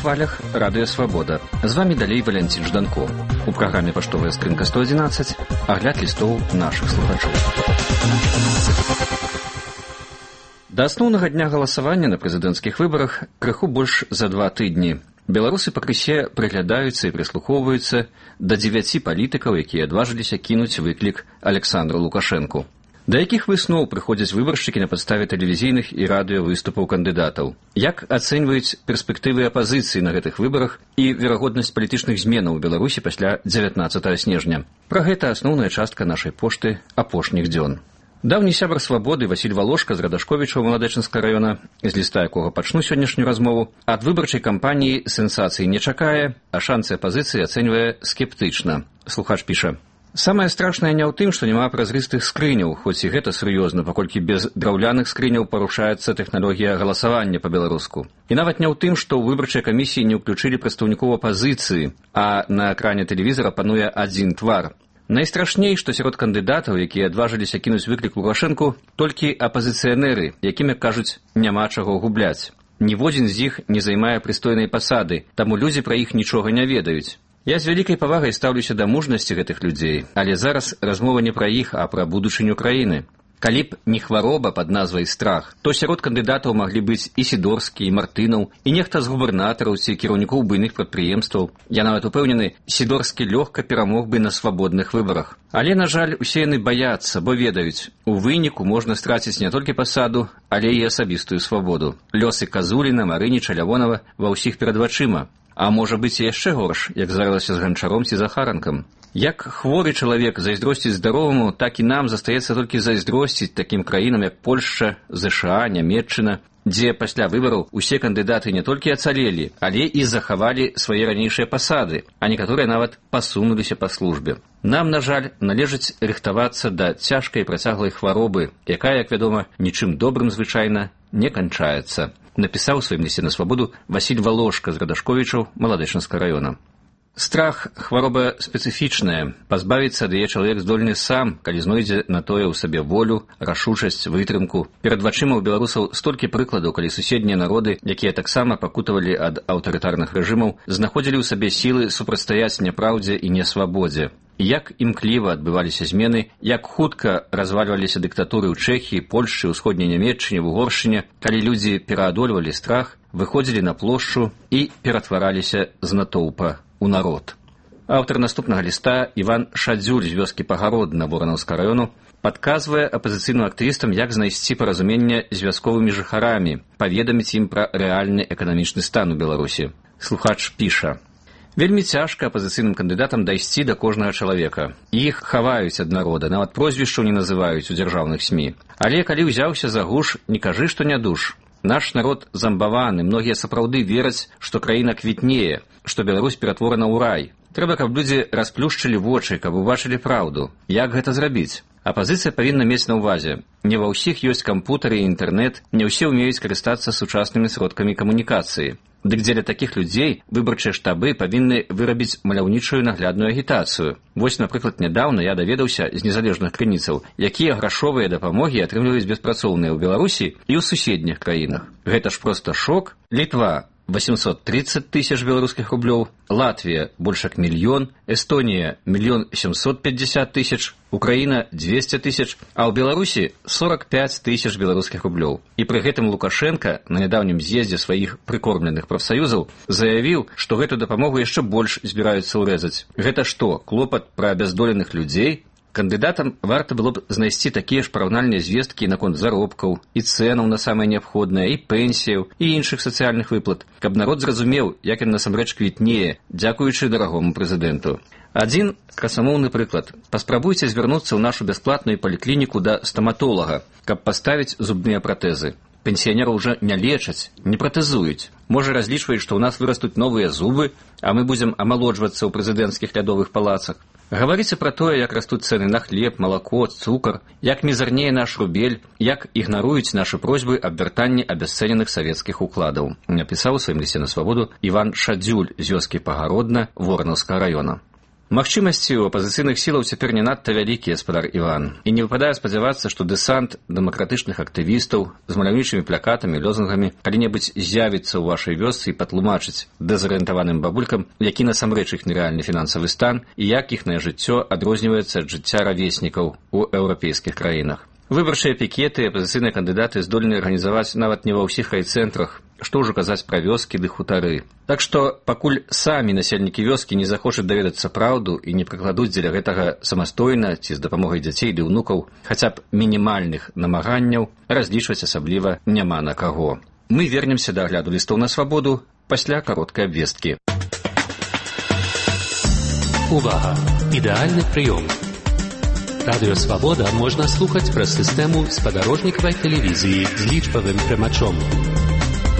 хвалях Радыё Свабода. З вамі далей Валянцін Жданко. У праграме «Паштовая скрынка 111» агляд лістоў нашых слухачоў. Да асноўнага дня галасавання на прэзідэнцкіх выбарах крыху больш за 2 тыдні. Беларусы пакрысе прыглядаюцца і прыслухоўваюцца да 9 палітыкаў, якія адважыліся кінуць выклік Александру Лукашэнку. Да якіх высноў прыходзяць выбаршчыкі на падставе тэлевізійных і радыёвыступаў кандыдатаў? Як ацэньваюць перспектывы апазіцыі на гэтых выбарах і верагоднасць палітычных зменаў у Беларусі пасля 19 снежня? Пра гэта асноўная частка нашай пошты апошніх дзён. Даўні сябар Свабоды Васіль Валошка з Радашковіча ў Маладэчынскага раёна, з ліста якога пачну сённяшнюю размову, ад выбарчай кампаніі сенсацыі не чакае, а шансы апазіцыі ацэньвае скептычна. Слухач піша: «Самае страшнае не ў тым, што няма празрыстых скрыняў, хоць і гэта сур'ёзна, паколькі без драўляных скрыняў парушаецца тэхналогія галасавання па-беларуску. І нават не ў тым, што ў выбарчай камісіі не ўключылі прадстаўнікоў апазіцыі, а на экране тэлевізара пануе адзін твар. Найстрашней, што сярод кандыдатаў, якія адважыліся кінуць выклік Лукашэнку, толькі апазіцыянеры, якім, як кажуць, няма чаго губляць. Ніводзін з іх не займае прыстойнай пасады, таму людзі пра іх нічога не ведаюць. Я з вялікай павагай стаўлюся да мужнасці гэтых людзей, але зараз размова не пра іх, а пра будучыню краіны. Калі б не хвароба пад назвай страх, то сярод кандыдатаў маглі быць і Сідорскі, і Мартынаў, і нехта з губернатараў ці кіраўнікоў буйных прадпрыемстваў. Я нават упэўнены, Сідорскі лёгка перамог бы на свабодных выбарах. Але, на жаль, усе яны баяцца, бо ведаюць, у выніку можна страціць не толькі пасаду, але і асабістую свабоду. Лёсы Казуліна, Марыніча, Лявонава ва ўсіх перад вачыма. А можа быць і яшчэ горш, як здарылася з Ганчаром ці Захаранкам. Як хворы чалавек зайздросціць здароваму, так і нам застаецца толькі зайздросціць такім краінам, як Польшча, ЗША, Нямецчына, дзе пасля выбараў усе кандыдаты не толькі ацалелі, але і захавалі свае ранейшыя пасады, а некаторыя нават пасунуліся па службе. Нам, на жаль, належыць рыхтавацца да цяжкай працяглай хваробы, якая, як вядома, нічым добрым звычайна не канчаецца. Напісаў у сваім лісце на Свабоду Васіль Валошка з Радашковічаў Маладэчынскага раёна. Страх – хвароба спецыфічная. Пазбавіцца ад яе чалавек здольны сам, калі знойдзе на тое ў сабе волю, рашучасць, вытрымку. Перад вачыма ў беларусаў столькі прыкладаў, калі суседнія народы, якія таксама пакутавалі ад аўтарытарных рэжымаў, знаходзілі ў сабе сілы супрацьстаяць няпраўдзе і нясвабодзе. Як імкліва адбываліся змены, як хутка развальваліся дыктатуры ў Чэхіі, Польшчы, Усходняй Нямецчыне, в Угоршчыне, калі людзі пераадольвалі страх, выходзілі на плошчу і ператвараліся з натоўпа у народ. Аўтар наступнага ліста Іван Шадзюль з вёскі Пагародна Воранаўскага раёну падказвае апазіцыйным актывістам, як знайсці паразуменне з вясковымі жыхарамі, паведаміць ім пра рэальны эканамічны стан у Беларусі. Слухач піша: «Вельмі цяжка апазіцыйным кандыдатам дайсці да кожнага чалавека. Іх хаваюць ад народа, нават прозвішчаў не называюць у дзяржаўных СМІ. Але калі ўзяўся за гуш, не кажы, што не душ. Наш народ замбаваны, многія сапраўды вераць, што краіна квітнее, што Беларусь ператворана ў рай. Трэба, каб людзі расплюшчылі вочы, каб убачылі праўду. Як гэта зрабіць? Апазіцыя павінна мець на ўвазе. Не ва ўсіх ёсць кампутары і інтэрнэт, не ўсе ўмеюць карыстацца сучаснымі сродкамі камунікацыі. Дык дзеля такіх людзей выбарчыя штабы павінны вырабіць маляўнічую наглядную агітацыю. Вось, напрыклад, нядаўна я даведаўся з незалежных крыніцаў, якія грашовыя дапамогі атрымліваюць беспрацоўныя ў Беларусі і ў суседніх краінах. Гэта ж проста шок. Літва – 830 тысяч беларускіх рублёў, Латвія – больш як 1 мільён, Эстонія – 1 750 000, Украіна – 200 000, а ў Беларусі – 45 000 беларускіх рублёў. І пры гэтым Лукашенка на нядаўнім з'ездзе сваіх прыкормленых прафсаюзаў заявіў, што гэту дапамогу яшчэ больш збіраюцца ўрэзаць. Гэта што, клопат пра абяздоленых людзей? Кандыдатам варта было б знайсці такія ж параўнальныя звесткі наконт заробкаў і цэнаў на самае неабходнае, і пенсіяў, і іншых сацыяльных выплат, каб народ зразумеў, як ён насамрэч квітнее, дзякуючы дарагому прэзідэнту. Адзін красамоўны прыклад. Паспрабуйце звярнуцца ў нашу бясплатную паліклініку да стаматолага, каб паставіць зубныя пратэзы. Пенсіянераў уже не лечаць, не пратэзуюць. Можа, разлічваюць, што ў нас вырастуць новыя зубы, а мы будзем амалоджвацца ў прэзідэнцкіх лядовых палацах. Гаварыце пра тое, як растуць цэны на хлеб, малако, цукар, як мізарнее наш рубель, як ігнаруюць нашы просьбы аб вяртанні абясцэненых савецкіх укладаў. Напісаў у сваім лісце на Свабоду Іван Шадзюль з вёскі Пагародна Воранаўскага раёна. Магчымасці ў апазіцыйных сілаў цяпер не надта вялікія, спадар Іван. І не выпадае спадзявацца, што дэсант дэмакратычных актывістаў з маляўнічымі плакатамі, лозунгамі калі-небудзь з'явіцца ў вашай вёсцы і патлумачыць дэзарыентаваным бабулькам, які насамрэч іх нерэальны фінансавы стан і як іхнае жыццё адрозніваецца ад жыцця равеснікаў у еўрапейскіх краінах. Выбарчыя пікеты і апазіцыйныя кандыдаты здольны арганізаваць нават не ва ўсіх райцэнтрах, што ўжо казаць пра вёскі ды хутары. Так што, пакуль самі насельнікі вёскі не захочуць даведацца праўду і не прыкладуць дзеля гэтага самастойна ці з дапамогай дзяцей ды ўнукаў хаця б мінімальных намаганняў, разлічваць асабліва няма на каго. Мы вернемся да агляду лістоў на свабоду пасля кароткай абвесткі. Увага! Ідэальны прыём! Радыё «Свабода» можна слухаць праз сістэму спадарожнікавай тэлевізіі з лічбавым прымачом.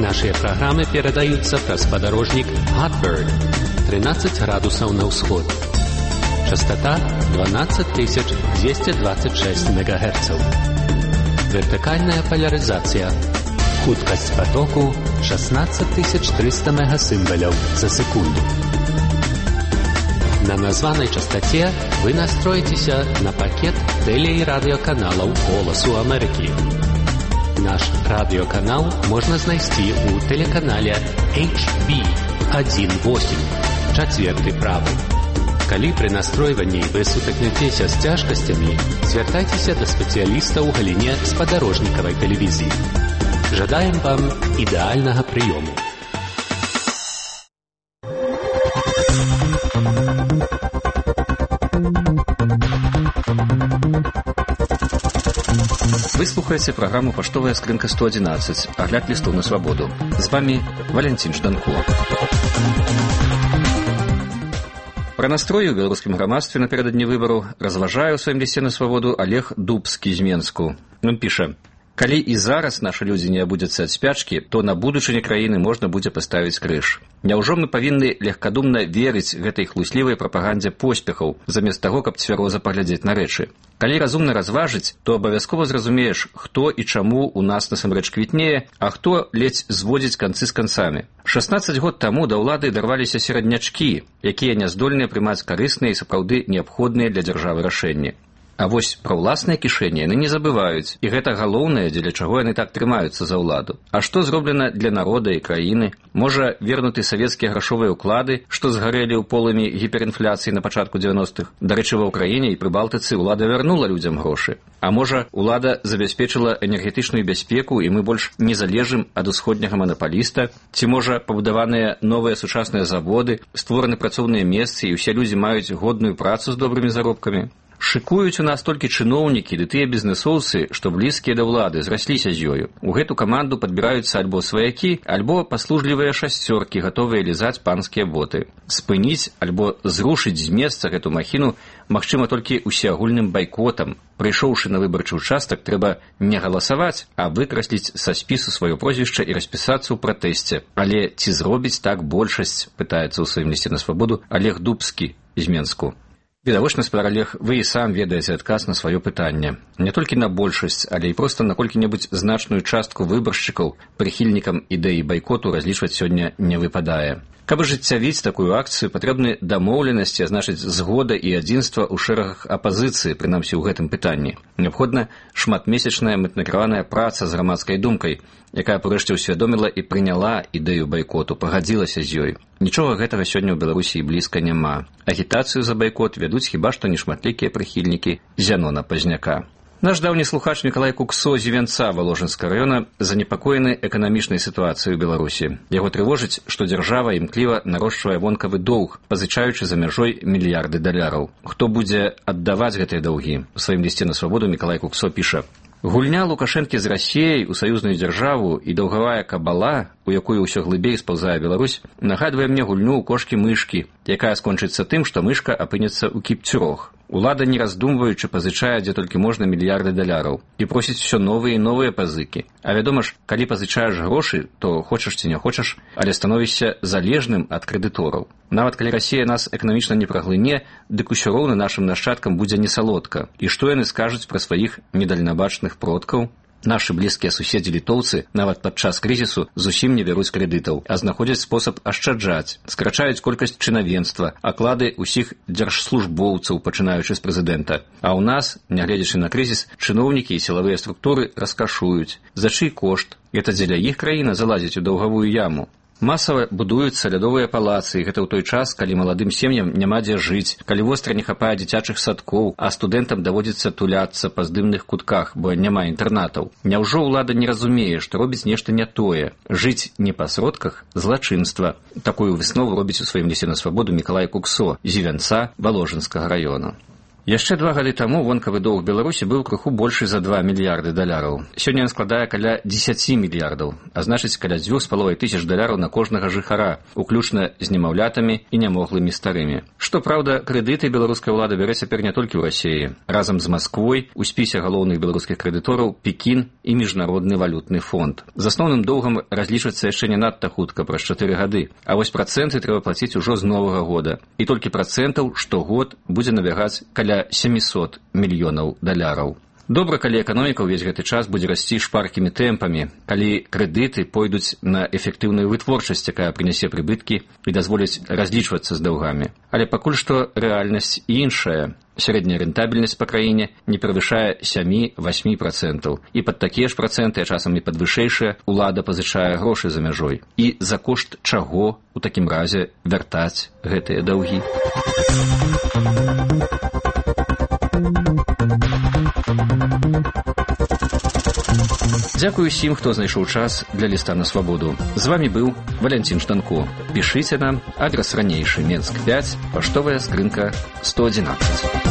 Нашыя праграмы перадаюцца праз спадарожнік Hotbird 13 градусаў на ўсход. Частота 12226 МГц. Вертыкальная полярызацыя. Хуткасць потоку 16300 мегасімбаляў за секунду. На названай частоце вы настроіцеся на пакет тэле- і радыёканалаў «Голасу Амерыкі». Наш радыёканал можна знайсці ў тэлеканале HB18, чацверты правы. Калі пры настройванні вы сутыкнецеся з цяжкасцямі, звяртайцеся да спецыяліста ў галіне спадарожнікавай тэлевізіі. Жадаем вам ідэальнага прыёму. Вы слухаеце праграму «Паштовая скрынка 111», агляд лістоў на свабоду. З вамі Валянцін Жданко. Пра настроі ў беларускім грамадстве напярэдадні выбараў разважае ў сваім лісце на свабоду Олег Дубскі з Менску. Ён піша: «Калі і зараз нашы людзі не абудзяцца ад спячкі, то на будучыні краіны можна будзе паставіць крыж. Няўжо мы павінны легкадумна верыць гэтай хлуслівай прапагандзе поспехаў, замест таго, каб цвяроза паглядзець на рэчы? Калі разумна разважыць, то абавязкова зразумееш, хто і чаму ў нас насамрэч квітнее, а хто ледзь зводзіць канцы з канцамі. 16 год таму да ўлады дарваліся сераднячкі, якія не здольныя прымаць карысныя і сапраўды неабходныя для дзяржавы рашэнні. А вось пра ўласныя кішэні яны не забываюць, і гэта галоўнае, дзеля чаго яны так трымаюцца за ўладу. А што зроблена для народа і краіны? Можа, вернуты савецкія грашовыя ўклады, што згарэлі ў полымі гіперінфляцыі на пачатку 90-х? Дарэчы, ва ўкраіне і Прыбалтыцы ўлада вярнула людзям грошы. А можа, ўлада забяспечыла энергетычную бяспеку, і мы больш не залежым ад усходняга манапаліста? Ці, можа, пабудаваныя новыя сучасныя заводы, створаны працоўныя месцы, і ўсе людзі маюць годную працу з добрымі заробкамі? Шыкуюць у нас толькі чыноўнікі ды тыя бізнэсоўцы, што блізкія да ўлады, зрасліся з ёю. У гэту каманду падбіраюцца альбо сваякі, альбо паслужлівыя шасцёркі, гатовыя лізаць панскія боты. Спыніць альбо зрушыць з месца гэту махіну магчыма толькі усеагульным байкотам. Прыйшоўшы на выбарчы ўчастак, трэба не галасаваць, а выкрасліць са спісу сваё прозвішча і распісацца ў пратэсце. Але ці зробіць так большасць, пытаецца ў сваім лісце на свабоду Олег Дубскі з Менску. Відавочна, спадар Олег, вы і сам ведаеце адказ на сваё пытанне. Не толькі на большасць, але і проста на колькі-небудзь значную частку выбаршчыкаў прыхільнікам ідэі байкоту разлічваць сёння не выпадае. Каб ажыццявіць такую акцыю, патрэбны дамоўленасці, а значыць згода і адзінства ў шэрагах апазіцыі, прынамсі ў гэтым пытанні. Неабходна шматмесячная мэтнакіраваная праца з грамадскай думкай, якая прэшце ўсвядоміла і прыняла ідэю байкоту, пагадзілася з ёй. Нічога гэтага сёння ў Беларусі і блізка няма. Агітацыю за байкот вядуць хіба што нешматлікія прыхільнікі Зянона Пазняка. Наш даўні слухач Мікалай Куксо з Івянца Валожынскага раёна занепакоены эканамічнай сітуацыяй у Беларусі. Яго трывожыць, што дзяржава імкліва нарошчвае вонкавы доўг, пазычаючы за мяжой мільярды даляраў. Хто будзе аддаваць гэтыя даўгі? У сваім лісце на свабоду Мікалай Куксо піша: «Гульня Лукашэнкі з Расіяй у саюзную дзяржаву і даўгавая кабала, у якую ўсё глыбей спаўзае Беларусь, нагадвае мне гульню ў кошкі-мышкі, якая скончыцца тым, што мышка апынецца ў кіпцюрох. Улада, не раздумваючы, пазычае, дзе толькі можна, мільярды даляраў і просіць усё новыя і новыя пазыкі. А вядома ж, калі пазычаеш грошы, то хочаш ці не хочаш, але становішся залежным ад крэдытораў. Нават калі Расія нас эканамічна не праглыне, дык усё роўна нашым нашчадкам будзе несалодка. І што яны скажуць пра сваіх недальнабачных продкаў? Нашы блізкія суседзі літоўцы нават падчас крызісу зусім не бяруць крэдытаў, а знаходзяць спосаб ашчаджаць, скрачаюць колькасць чынавенства, аклады ўсіх дзяржслужбоўцаў, пачынаючы з прэзідэнта. А ў нас, нягледзячы на крызіс, чыноўнікі і сілавыя структуры раскашуюць. За чый кошт? Гэта дзеля іх краіна залазіць у даўгавую яму. Масава будуюцца лядовыя палацы, і гэта ў той час, калі маладым сем'ям няма дзе жыць, калі востра не хапае дзіцячых садкоў, а студэнтам даводзіцца туляцца па здымных кутках, бо няма інтэрнатаў. Няўжо ўлада не разумее, што робіць нешта не тое? Жыць не па сродках – злачынства. Такую выснову робіць у сваім лісце на свабоду Мікалай Куксо з Івянца Валожынскага раёна. Яшчэ 2 гады таму вонкавы доўг Беларусі быў крыху большы за 2 мільярды даляраў. Сёння ён складае каля 10 мільярдаў, а значыць каля 2,5 тысяч даляраў на кожнага жыхара, уключна з немаўлятамі і нямоглымі старымі. Што праўда, крэдыты беларуская ўлада бярэ цяпер не толькі ў Расіі. Разам з Масквой у спісе галоўных беларускіх крэдытораў Пекін і Міжнародны валютны фонд. З асноўным доўгам разлічвацца яшчэ не надта хутка, праз 4 гады, а вось працэнты трэба плаціць ужо з новага года. І толькі працэнтаў штогод будзе набягаць каля 700 мільёнаў даляраў. Добра, калі эканоміка ўвесь гэты час будзе расці шпаркімі тэмпамі, калі крэдыты пойдуць на эфектыўную вытворчасць, якая прынясе прыбыткі і дазволіць разлічвацца з даўгамі. Але пакуль што рэальнасць іншая. Сярэдняя рэнтабельнасць па краіне не перавышае 7-8%. І пад такія ж працэнты, а часам і пад вышэйшыя, улада пазычае грошы за мяжой. І за кошт чаго у такім разе вяртаць гэтыя даўгі? Дзякую усім, хто знайшоў час для ліста на свабоду. З вамі быў Валянцін Штанко. Пішыце нам, адрас ранейшы, Менск 5, паштовая скрынка 111.